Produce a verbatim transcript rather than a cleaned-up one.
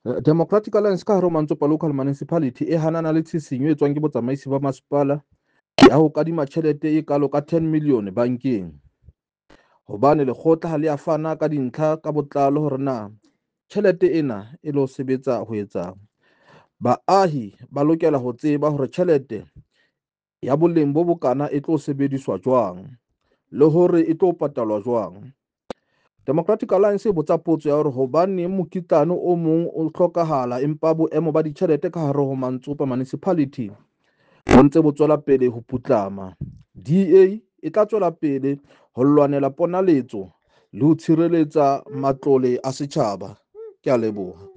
Democratic Alliance ka hare ho Mantsopa Local Municipality e hanana le tshisinyo e tswang ke botsamaisi ba masepala ya ho kadima tjhelete e kalo ka ten million bankeng, hobane lekgotla ha le a fana ka dintlha ka botlalo hore na tjhelete ena e lo sebetsa ho etsang. Baahi ba lokela ho tseba hore tjhelete ya boleng bo bokana e tlo sebediswa jwang le hore e tlo patalwa jwang. Democratic Alliance e botsa potso ya hore hobaneng mokitlane o mong o hlokahala empa boemo ba ditjhelete ka hare ho Mantsopa Municipality bo ntse bo tswela pele ho putlama. D A e tla tswela pele ho lwanela ponaletso le ho tshireletsa matlole a setjhaba. Ke a leboha.